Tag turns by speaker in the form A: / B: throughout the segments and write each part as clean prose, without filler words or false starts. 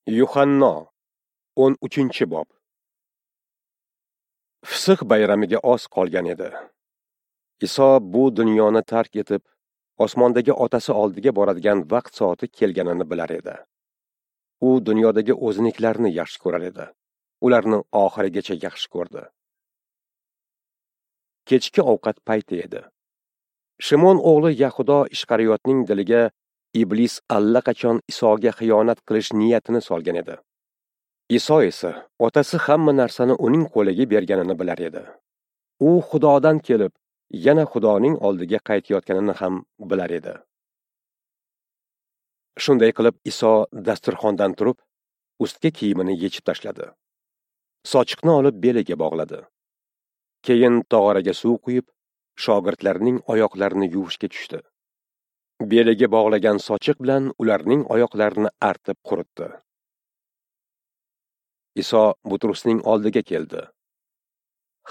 A: Yuhanno 13-bob. Fisq bayramiga oz qolgan edi. Iso bu dunyoni tark etib, osmondagi otasi oldiga boradigan vaqt soati kelganini bilar edi. U dunyodagi o'zinikilarni yaxshi ko'rar edi. Ularni oxirigacha yaxshi ko'rdi. Kechki ovqat payti edi. Shimon o'g'li Yahudo Ishqariyotning diliga Iblis allaqachon Isoga xiyonat qilish niyatini solgan edi. Iso esa otasi hamma narsani uning qo'liga berganini bilar edi. U Xudodan kelib, yana Xudoning oldiga qaytayotganini ham bilar edi. Shunday qilib Iso dasturxondan turib, ustki kiyimini yechib tashladi. Sochiqni olib beliga bog'ladi. Keyin tog'oraga suv quyib, shogirdlarning oyoqlarini yuvishga tushdi. Beliga bog'lagan sochiq bilan ularning oyoqlarini artib quritdi. Iso Butrusning oldiga keldi.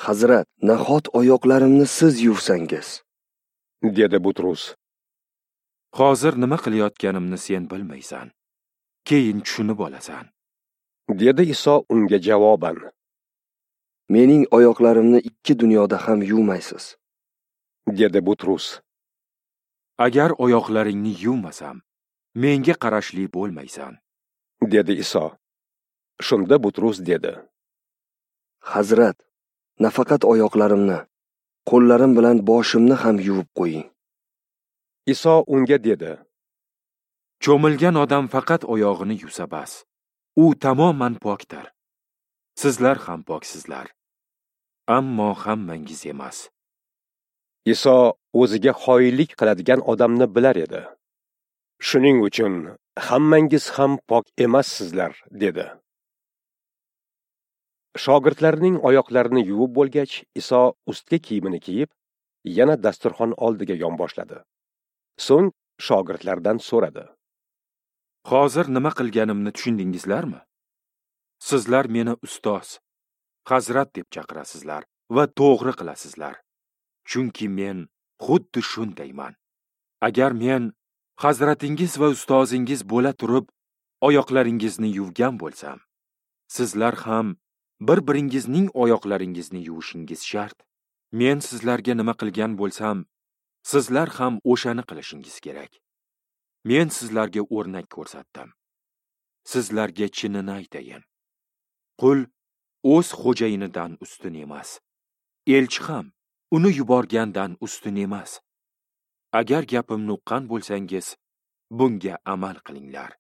B: Hazrat, nahot oyoqlarimni siz yuvsangiz?
A: Dedi Butrus.
C: Hozir nima qilayotganimni sen bilmaysan. Keyin tushunib olasan.
A: Dedi Iso unga javoban.
B: Mening oyoqlarimni ikki dunyoda ham yuvmaysiz.
A: Dedi Butrus.
C: Agar oyoqlaringni yuvmasam, menga qarashli bo'lmaysan.
A: Dedi Iso. Shunda Butrus dedi.
B: Hazrat, nafaqat oyoqlarimni, qo'llarim bilan boshimni ham yuvib qo'ying.
A: Iso unga dedi.
C: Cho'milgan odam faqat oyog'ini yuvsa bas. U tamoman pokdir. Sizlar ham poksizlar. Ammo hammangiz emas.
A: Iso o'ziga xoinlik qiladigan odamni bilar edi. Shuning uchun hammangiz ham pok emassizlar, dedi. Shogirdlarning oyoqlarini yuvib bo'lgach, Iso ustki kiyimini kiyib, yana dasturxon oldiga yonboshladi. So'ng shogirdlardan so'radi.
C: Hozir nima qilganimni tushundingizlarmi? Sizlar meni ustoz, hazrat deb chaqirasizlar va to'g'ri qilasizlar. Chunki men xuddi shundayman. Agar men hazratingiz va ustozingiz bo'la turib oyoqlaringizni yuvgan bo'lsam, sizlar ham bir-biringizning oyoqlaringizni yuvishingiz shart. Men sizlarga nima qilgan bo'lsam, sizlar ham o'shani qilishingiz kerak. Men sizlarga o'rnak ko'rsatdim. Sizlarga chinini aytayin. Qul o'z xo'jayinidan ustun emas. Elchi ham uni yuborgandan ustun emas. Agar gapimni uqqan bo'lsangiz, bunga amal qilinglar.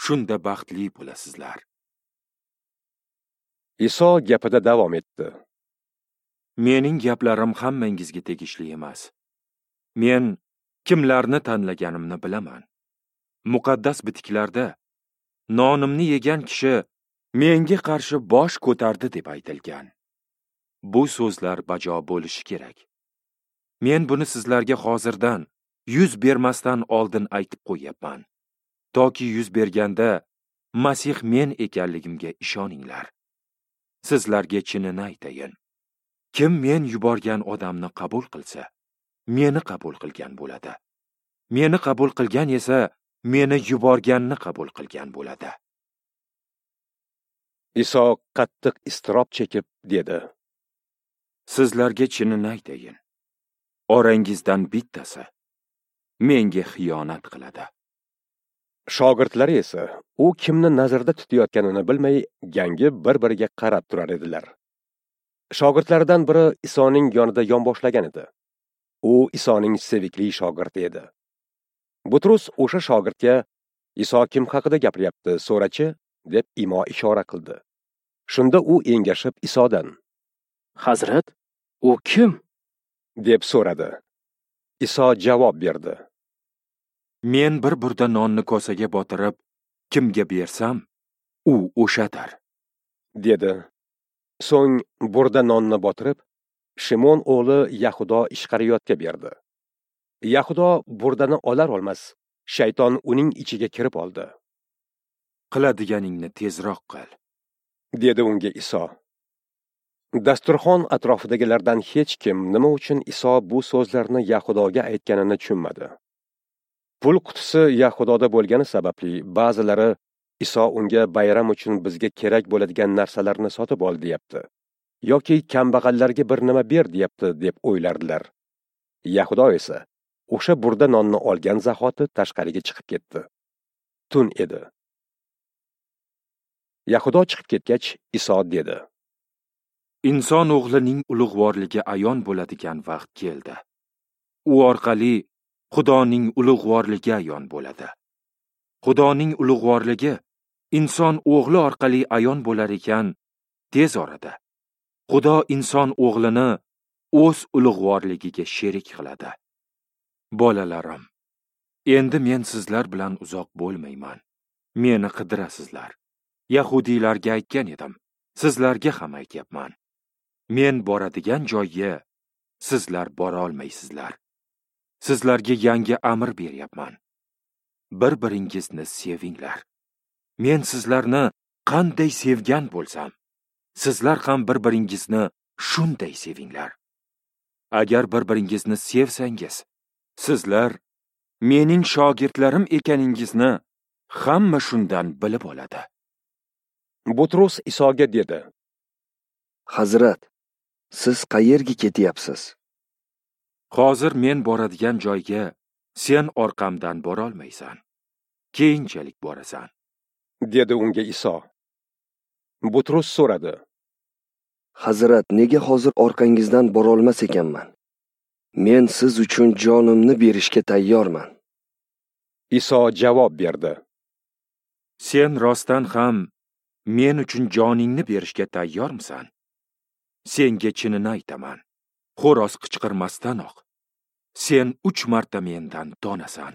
C: Shunda baxtli bo'lasizlar.
A: Iso gapida davom etdi.
C: Mening gaplarim hammangizga tegishli emas. Men kimlarni tanlaganimni bilaman. Muqaddas bitiklarda nonimni yegan kishi menga qarshi bosh ko'tardi deb aytilgan. Bu so'zlar bajo bo'lishi kerak. Men buni sizlarga hozirdan, yuz bermasdan oldin aytib qo'yapman. Toki yuz berganda Masih men ekanligimga ishoninglar. Sizlarga chinini aytayin. Kim men yuborgan odamni qabul qilsa, meni qabul qilgan bo'ladi. Meni qabul qilgan esa, meni yuborganni qabul qilgan bo'ladi.
A: Iso qattiq iztirob chekib dedi.
C: Sizlarga chinini aytayin. Orangizdan bittasi menga xiyonat qiladi.
A: Shogirdlari esa u kimni nazarda tutayotganini bilmay, gangib bir-biriga qarab turar edilar. Shogirdlaridan biri Isoning yonida yonboshlagan edi. U Isoning sevikli shogirdi edi. Butrus o'sha shogirdga Iso kim haqida gapiryapti, so'rachi, deb imo ishora qildi. Shunda u engashib Isodan:
D: Hazrat, u kim?
A: deb so'radi. Iso javob berdi.
C: Men bir burda nonni kosaga botirib, kimga bersam, u o'shadir,
A: dedi. So'ng burda nonni botirib, Shimon o'g'li Yahudo Ishqariyotga berdi. Yahudo burdani olar olmas, shayton uning ichiga kirib oldi.
C: Qiladiganingni tezroq qil,
A: dedi unga Iso. Dasturxon atrofidagilardan hech kim nima uchun Iso bu so'zlarni Yahudoga aytganini tushunmadi. Pul qutisi Yahudoda bo'lgani sababli ba'zilari Iso unga bayram uchun bizga kerak bo'ladigan narsalarni sotib ol deyapti yoki kambag'allarga bir nima ber deyapti deb o'ylardilar. Yahudo esa o'sha burda nonni olgan zahoti tashqariga chiqib ketdi. Tun edi. Yahudo chiqib ketgach, Iso dedi:
C: Inson o'g'lining ulug'vorligi ayon bo'ladigan vaqt keldi. U orqali Xudoning ulug'vorligi ayon bo'ladi. Xudoning ulug'vorligi inson o'g'li orqali ayon bo'lar ekan, tez orada Xudo inson o'g'lini o'z ulug'vorligiga sherik qiladi. Bolalarim, endi men sizlar bilan uzoq bo'lmayman. Meni qidirasizlar. Yahudiylarga aytgan edim, sizlarga ham aytyapman. Men boradigan joyga sizlar bora olmaysizlar. Sizlarga yangi amr beryapman. Bir-biringizni sevinglar. Men sizlarni qanday sevgan bo'lsam, sizlar ham bir-biringizni shunday sevinglar. Agar bir-biringizni sevsangiz, sizlar mening shogirdlarim ekaningizni hamma shundan bilib oladi.
A: Butrus Isoga dedi:
B: Hazrat, siz qayerga ketyapsiz?
C: Hozir men boradigan joyga sen orqamdan bora olmaysan. Keyinchalik borasan,
A: dedi unga Iso. Butrus so'radi:
B: Hazrat, nega hozir orqangizdan borolmas ekanman? Men siz uchun jonimni berishga tayyorman.
A: Iso javob berdi:
C: Sen rostdan ham men uchun joningni berishga tayyormisan? Senga chinini aytaman, xo'roz qichqirmasdanoq sen 3 marta mendan tonasan.